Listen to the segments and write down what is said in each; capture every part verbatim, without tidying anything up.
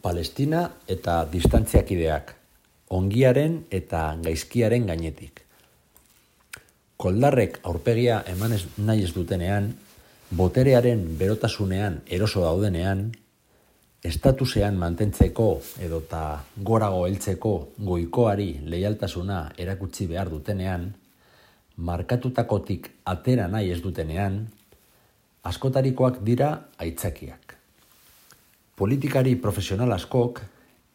Palestina eta distantziakideak, ongiaren eta gaizkiaren gainetik. Koldarrek aurpegia eman ez, nahi ez dutenean, boterearen berotasunean eroso daudenean, estatusean mantentzeko edota gorago heltzeko goikoari leialtasuna erakutsi behar dutenean, markatutakotik atera nahi ez dutenean, askotarikoak dira aitzakiak. Politikari profesional askok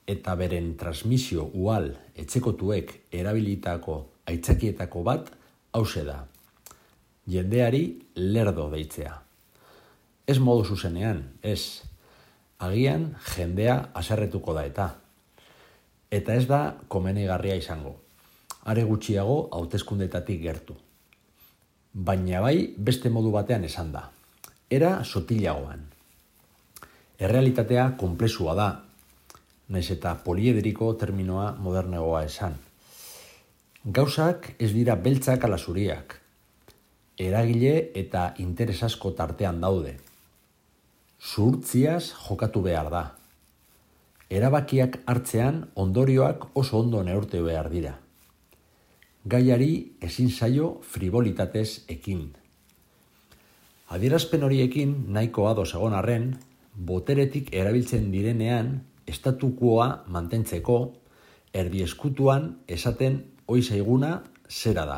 eta beren transmisio ual etxekotuek erabilitako aitzakietako bat hauxe da. Jendeari lerdo deitzea. Ez modu zuzenean, ez. Agian jendea haserretuko da eta. Eta ez da komenigarria izango. Are gutxiago hauteskundetatik gertu. Baina bai beste modu batean esan da. Era sotilagoan. Errealitatea konplexua da, nahiz eta poliedriko terminoa modernegoa esan. Gauzak ez dira beltzak ala zuriak. Eragile eta interes asko tartean daude. Zuhurtziaz jokatu behar da. Erabakiak hartzean ondorioak oso ondo neurtu behar dira. Gaiari ezin zaio fribolitatez ekin. Adierazpen horiekin nahiko ados egon arren, boteretik erabiltzen direnean estatukoa mantentzeko erdieskutuan esaten ohi zaiguna zera da.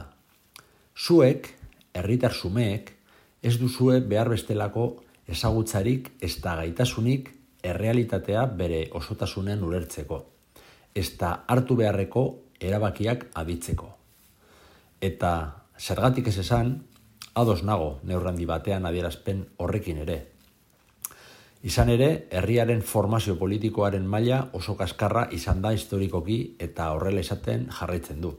Zuek, herritar xumeek, ez duzue behar bestelako ezagutzarik ezta gaitasunik errealitatea bere osotasunen ulertzeko, ezta hartu beharreko erabakiak aditzeko. Eta zergatik ez esan, ados nago neurrandi batean adierazpen horrekin ere. Izan ere, herriaren formazio politikoaren maila oso kaskarra izan da historikoki eta horrela izaten jarraitzen du.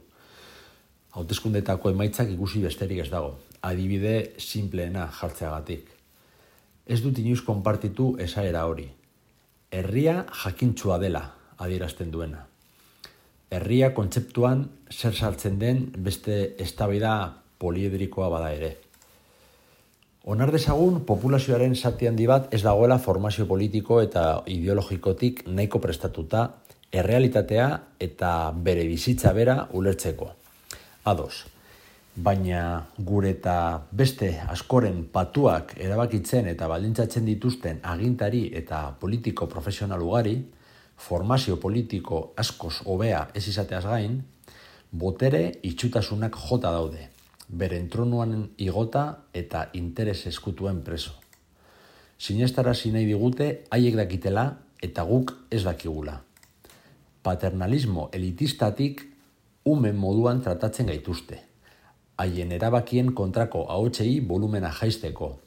Hauteskundetako emaitzak ikusi besterik ez dago, adibide simpleena jartzeagatik. Ez dut inoiz konpartitu esaera hori. Herria jakintsua dela adierazten duena. Herria kontzeptuan zer sartzen den beste eztabaida poliedrikoa bada ere. Onar dezagun populazioaren zati handi bat ez dagoela formazio politiko eta ideologikotik nahiko prestatuta errealitatea eta bere bizitza bera ulertzeko. Ados, baina gure eta beste askoren patuak erabakitzen eta baldintzatzen dituzten agintari eta politiko profesional ugari, formazio politiko askoz hobea ez izateaz gain, botere itxutasunak jota daude. Beren tronuan igota eta interes eskutuen preso. Sinestarazi nahi digute haiek dakitela eta guk ez dakigula. Paternalismo elitistatik umen moduan tratatzen gaituzte. Haien erabakien kontrako ahotsei volumena jaisteko.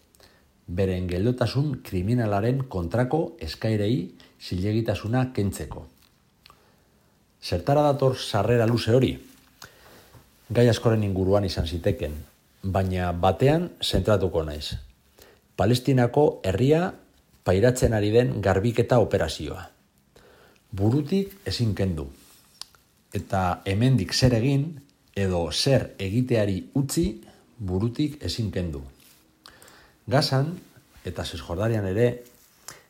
Beren geldotasun kriminalaren kontrako eskairei zilegitasuna kentzeko. Zertara dator sarrera luze hori? Gai askoren inguruan izan ziteken, baina batean zentratuko naiz. Palestinako herria pairatzen ari den garbiketa operazioa. Burutik ezin kendu. Eta hemendik zer egin edo zer egiteari utzi burutik ezin kendu. Gazan eta Zesjordanian ere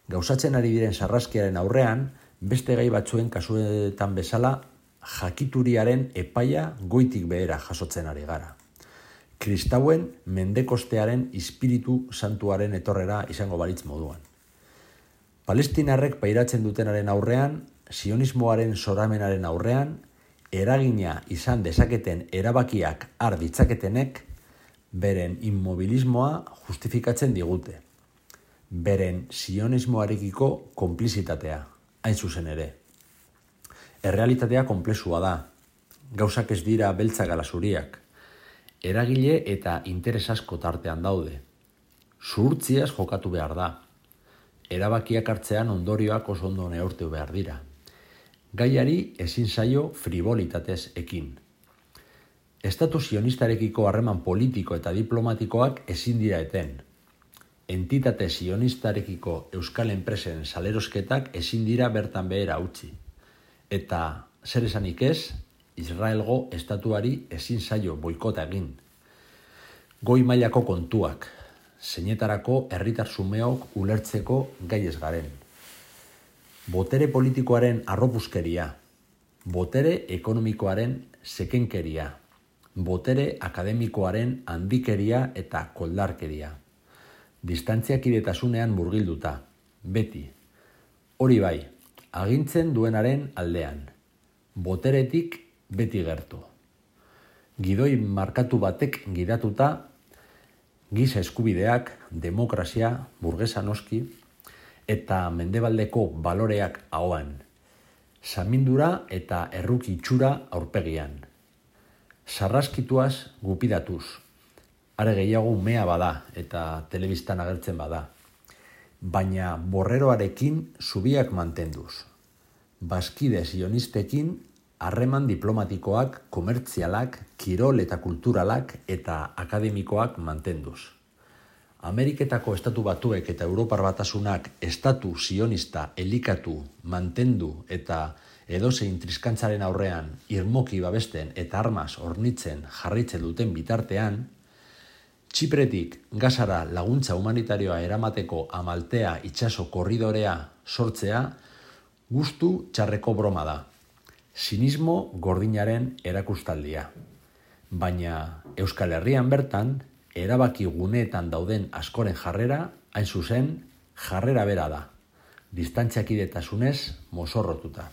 gauzatzen ari diren sarraskiaren aurrean beste gai batzuen kasuetan bezala jakituriaren epaia goitik behera jasotzen ari gara. Kristauen mendekostearen espiritu santuaren etorrera izango balitz moduan. Palestinarrek pairatzen dutenaren aurrean, sionismoaren zoramenaren aurrean, eragina izan dezaketen erabakiak har ditzaketenek, beren inmobilismoa justifikatzen digute. Beren sionismoarekiko konplizitatea, hain zuzen ere. Errealitatea konplexua da. Gauzak ez dira beltzak ala zuriak. Eragile eta interes asko tartean daude. Zuhurtziaz jokatu behar da. Erabakiak hartzean ondorioak oso ondo neurtu behar dira. Gaiari ezin zaio fribolitatez ekin. Estatu sionistarekiko harreman politiko eta diplomatikoak ezin dira eten. Entitate sionistarekiko euskal enpresen salerosketak ezin dira bertan behera utzi. Eta zer esanik ez, Israelgo estatuari ezin zaio boikota egin. Goi mailako kontuak, zeinetarako herritar xumeok ulertzeko gai ez garen. botere politikoaren arropuzkeria, botere ekonomikoaren sekenkeria, botere akademikoaren handikeria eta koldarkeria. Distantziakidetasunean murgilduta, beti. Hori bai, agintzen duenaren aldean, boteretik beti gertu. Gidoi markatu batek gidatuta, giza eskubideak, demokrazia, burgesa noski, eta mendebaldeko baloreak ahoan, samindura eta erruki itxura aurpegian. Sarraskituaz gupidatuz, are gehiago umea bada eta telebistan agertzen bada, baina borreroarekin zubiak mantenduz. Bazkide sionistekin harreman diplomatikoak, komertzialak, kirol eta kulturalak eta akademikoak mantenduz. Ameriketako estatu batuek eta Europar Batasunak estatu sionista elikatu, mantendu eta edozein triskantzaren aurrean irmoki babesten eta armaz hornitzen jarraitzen duten bitartean, Txipretik Gazara laguntza humanitarioa eramateko Amaltea itsaso korridorea sortzea gustu txarreko broma da. Sinismo gordinaren erakustaldia. Baina Euskal Herrian bertan, erabaki guneetan dauden askoren jarrera, hain zuzen, jarrera bera da. Distantziakidetasunez mozorrotuta.